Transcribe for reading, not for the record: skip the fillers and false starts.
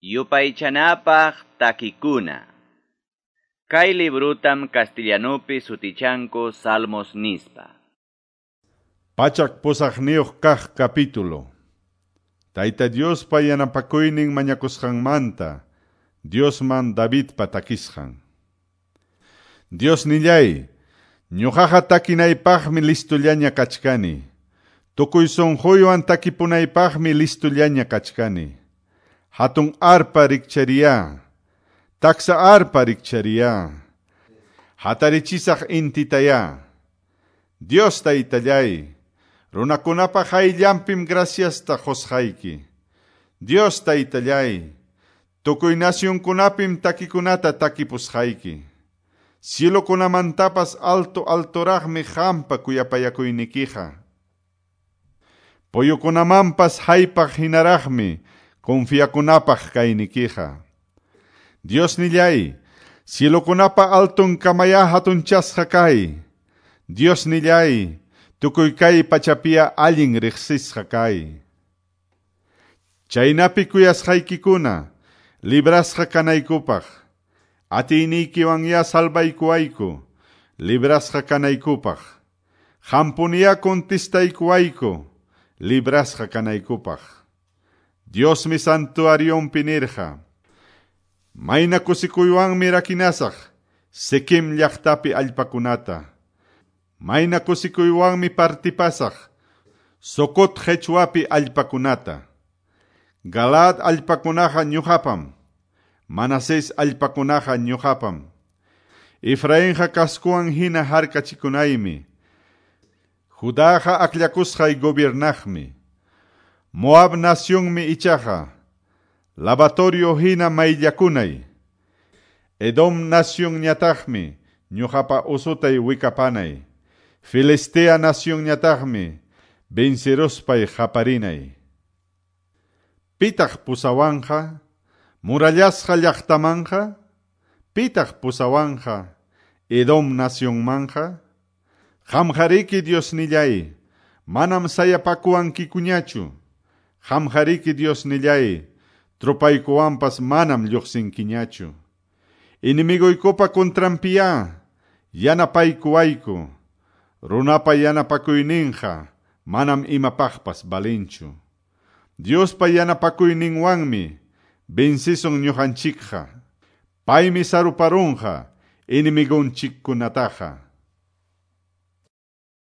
Yupaychanapaq takikuna. Kay librutam castellanupi sutichanku Salmos nispa. 108 kaq capítulo. Tayta Diospa yanapakuynin mañakusqanmanta, Diosman Davidpa takisqan. Diosnillay, ñuqaqa takinaypaqmi listullaña kachkani. Tukuy sunquywan takipunaypaqmi listullaña kachkani. Hatun arpa rikchariya, taksa arpa rikchariya. Hatarichisaq intitaya. Dios taytallay, runakunapa hayllanpim graciasta qusqayki. Dios taytallay, tukuy nacionkunapim takikunata takipusqayki. Cielokunamantapas alto altoraqmi qampa kuyapayakuynikiqa. Puyukunamanpas haypaq hinaraqmi confiakunapaq kaynikiqa. Diosnillay, cielokunapa alton kamaya hatunchasqa kay. Diosnillay, tukuy kay pachapia allin riqsisqa kay. Chaynapi kuyasqaykikuna, librasqa kanaykupaq. Atiyniykiwanya salvaykuwayku, librasqa kanaykupaq. Qampuniya contestaykuwayku, librasqa kanaykupaq. Diosmi santuarionpi nirqa. Mayna kusikuywanmi rakinasaq Siquem llaqtapi allpakunata. Mayna kusikuywanmi partipasaq Sucot qechwapi allpakunata. Galaad allpakunaqa ñuqapam, Manasés allpakunaqa ñuqapam. Efrainqa kaskuwan hina harkachikunaymi. Judaqa akllakusqay gobiernaqmi. Moab nacionmi ichaqa lavatorio hina mayllakunay. Edom nacionñataqmi ñuqapa usutay wikapanay. Filistea nacionñataqmi venceruspay qaparinay. Pitaq pusawanqa murallasqa llaqtamanqa? Pitaq pusawanqa Edom nacionmanqa? Qamqariki Diosnillay, manam sayapakuwankikuñachu. Qamqariki Diosnillay, tropaykuwanpas manam lluqsinkiñachu. Enemiguykupa contranpiya, yanapaykuwayku. Runapa yanapakuyninqa manam imapaqpas valinchu. Diospa yanapakuyninwanmi vencisun ñuqanchikqa. Paymi saruparunqa enemigunchikkunataqa.